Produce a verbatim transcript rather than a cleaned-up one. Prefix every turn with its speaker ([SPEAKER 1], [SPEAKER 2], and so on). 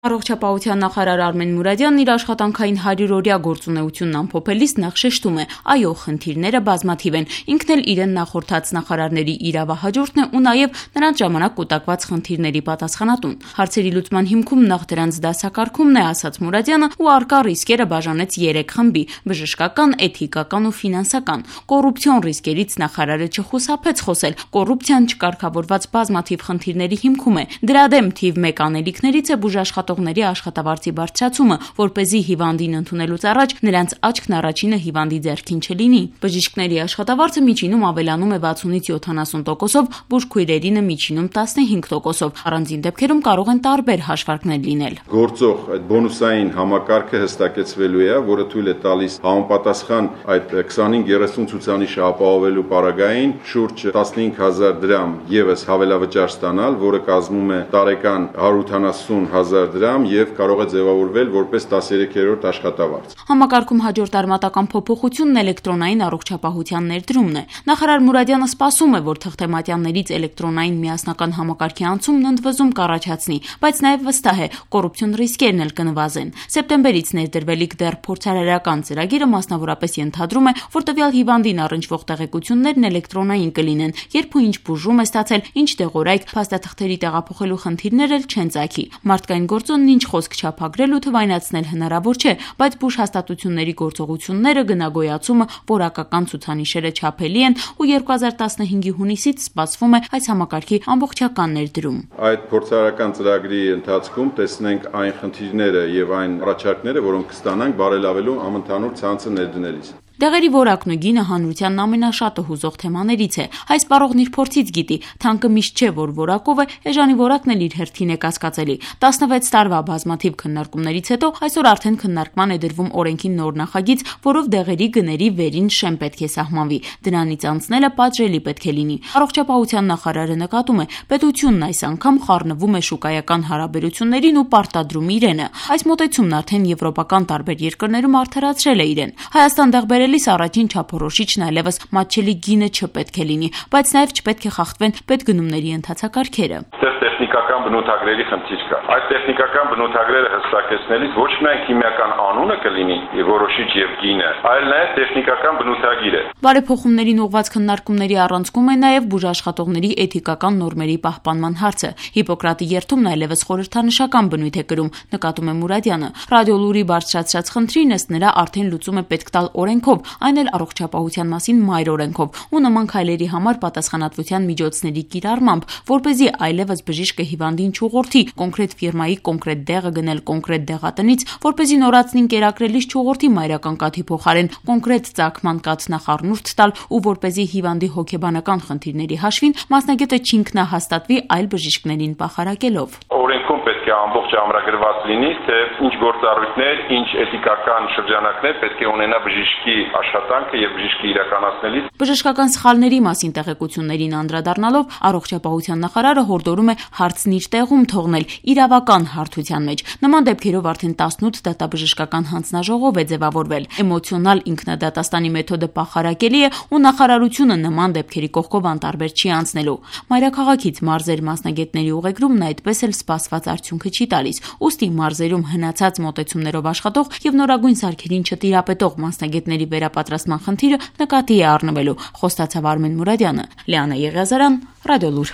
[SPEAKER 1] Առողջապահության նախարար Արմեն Մուրադյանն իր աշխատանքային հարյուրօրյա գործունեությունն ամփոփելիս նախ շեշտում է, այո, խնդիրները բազմաթիվ են, ինքն էլ իրեն նախորդած նախարարների իրավահաջորդն է ու նաև նրանց ժամանակ կուտակված խնդիրների պատասխանատուն։ Հարցերի լուծման հիմքում նախ դրանց դասակարգումն է, ասաց Մուրադյանը, ու առկա ռիսկերը բաժանեց երեք խմբի՝ բժշկական, էթիկական ու ֆինանսական։ Կոռուպցիոն ռիսկերից նախարարը չխուսափեց խոսել, կոռուպցիան չկարգավորված բազմաթիվ խնդիրների հիմքում է։ Դրա դեմ թիվ մեկ անելիքներից է բուժաշխատողների աշխատավարձի բարձրացումը, որպեսզի հիվանդին ընդունելուց առաջ նրանց աչքն առաջինը հիվանդի ձեռքին չլինի։ Բժիշկների աշխատավարձը միջինում ավելանում է վաթսունից յոթանասուն տոկոսով, բուժքույրերինը միջինում տասնհինգ տոկոսով։ Առանձին դեպքերում կարող են տարբեր հաշվարկներ լինել։
[SPEAKER 2] Գործող այդ բոնուսային համակարգը հստակեցվելու է, որը թույլ է տալիս համապատասխան այդ քսանհինգ երեսուն ցուցանիշը ապահովելու պարագային շուրջ տասնհինգ հազար դրամ ևս հավելավճար ստանալ, որը կազմում է տարեկան հարյուր ութանասուն հազար դրամ եւ կարող է ձևավորվել որպես տասներեքերորդ աշխատավարձ։
[SPEAKER 1] Համակարգում հաջորդ արմատական փոփոխությունն էլեկտրոնային առողջապահության ներդրումն է։ Նախարար Մուրադյանը սպասում է, որ թղթեմատյաններից էլեկտրոնային միասնական համակարգի անցումն ընդվզում կառաջացնի, բայց նաև վստահ է, կոռուպցիոն ռիսկերն էլ կնվազեն։ Սեպտեմբերից ներդրվելիք դեռ փորձարարական ծրագիրը մասնավորապես ենթադրում է, որ տվյալ հիվանդին առնչվող տեղեկություններն էլեկտրոնային կլինեն, երբ ու ինչ բուժում է ստացել, ինչ դեղորայք, փաստաթղթերի տեղափոխելու խնդիրներ էլ չեն ծագի։ Մարդկային գործոնն ինչ խոսք չափագրել ու թվայնացնել հնարավոր չէ, բայց բուժհաստատությունների գործողությունները, գնագոյացումը, որակական ցուցանիշերը չափելի են ու երկու հազար տասնհինգի հունիսից սպասվում է այս համակարգի ամբողջական ներդրում։
[SPEAKER 2] Այդ փորձարարական ծրագրի ընթացքում տեսնենք այն խնդիրները եւ այն առաջարկները, որոնք կստանանք բարելավելու համընդհանուր ցանցը ներդնելիս։
[SPEAKER 1] Դեղերի որակն ու գինը հանրությանն ամենաշատը հուզող թեմաներից է։ Այս պարողն իր փորձից գիտի, թանկը միշտ չէ, որ որակով է, էժանի որակն էլ իր հերթին է կասկածելի։ տասնվեց տարվա բազմաթիվ քննարկումներից հետո այսօր արդեն քննարկման է դրվում օրենքի նոր նախագիծ, որով դեղերի գների վերին շեմ պետք է սահմանվի։ Դրանից անցնելը պատժելի պետք է լինի։ Առողջապահության նախարարը նկատում է, պետությունն այս անգամ խառնվում է շուկայական հարաբերություններին ու պարտադրում իրենը։ Այս մոտեցումն արդեն եվրոպական տարբեր երկրներում արդարացրել է իրեն։ Հայաստան դեղ բերելիս առաջին չափորոշիչն այլևս մատչելի գինը չպետք է լինի, բայց նաև չպետք է խախտվեն պետգնումների ընթացակարգերը։
[SPEAKER 2] Տեխնիկական բնութագրերի խնդիր կա։ Այդ տեխնիկական բնութագրերը հստակեցնելիս ոչ միայն քիմիական անունը կլինի որոշիչ եւ գինը, այլ նաեւ տեխնիկական բնութագիրը։
[SPEAKER 1] Բարեփոխումներին ուղղված քննարկումների առանցքում է նաեւ բուժաշխատողների էթիկական նորմերի պահպանման հարցը։ Հիպոկրատի երթումն այլևս խորհրդանշական բնույթ է կրում, նկատում է Մուրադյանը։ Ռադիոլուրի բարձրացրած խնդրին ըստ նրա արդեն լուծում է պետք տալ օրենքով, այն էլ առողջապահության մասին մայր օրենքով ու նման քայլերի համար պատասխանատվության միջոցների կիրառմամբ, որպեսզի այլևս բժիշկը հիվանդին չուղղորդի կոնկրետ ֆիրմայի կոնկրետ դեղը գնել կոնկրետ դեղատնից, որպեսզի նորածնին կերակրելիս չուղղորդի մայրական կաթի փոխարեն կոնկրետ ծագման կաթ նախառնուրդ տալ ու որպեսզի հիվանդի հոգեբանական խնդիրների հաշվին մասնագետը չինքնահաստատվի այլ բժիշկներին պախարակելով։
[SPEAKER 2] Օրենքում պետք է ամբողջ ամրագրված լինի, թե ինչ գործառույթներ, ինչ էթիկական շրջանակներ պետք է ունենա բժիշկի աշխատանքը եւ բժիշկի իրականացնելիս։
[SPEAKER 1] Բժշկական սխալների մասին տեղեկություններին անդրադառնալով առողջապահության նախարարը հորդորում է հարցն իր տեղում թողնել իրավական հարթության մեջ։ Նման դեպքերով արդեն տասնութ դատաբժշկական հանձնաժողով է ձևավորվել։ Էմոցիոնալ ինքնադատաստանի մեթոդը պախարակելի է ու նախարարությունը նման դեպքերի կողքով անտարբեր չի անցնելու։ Մայրաքաղաքից մարզեր մասնագետների ուղեգրումն այդպես էլ սպասված արդյունքը չի տալիս։ Ուստի մարզերում հնացած մոտեցումներով աշխատող եւ նորագույն սարքերին չտիրապետող մասնագետների վերապատրաստման խնդիրը նկատի է առնվելու, խոստացավ Արմեն Մուրադյանը։ Լիանա Եղիազարյան, Ռադիոլուր։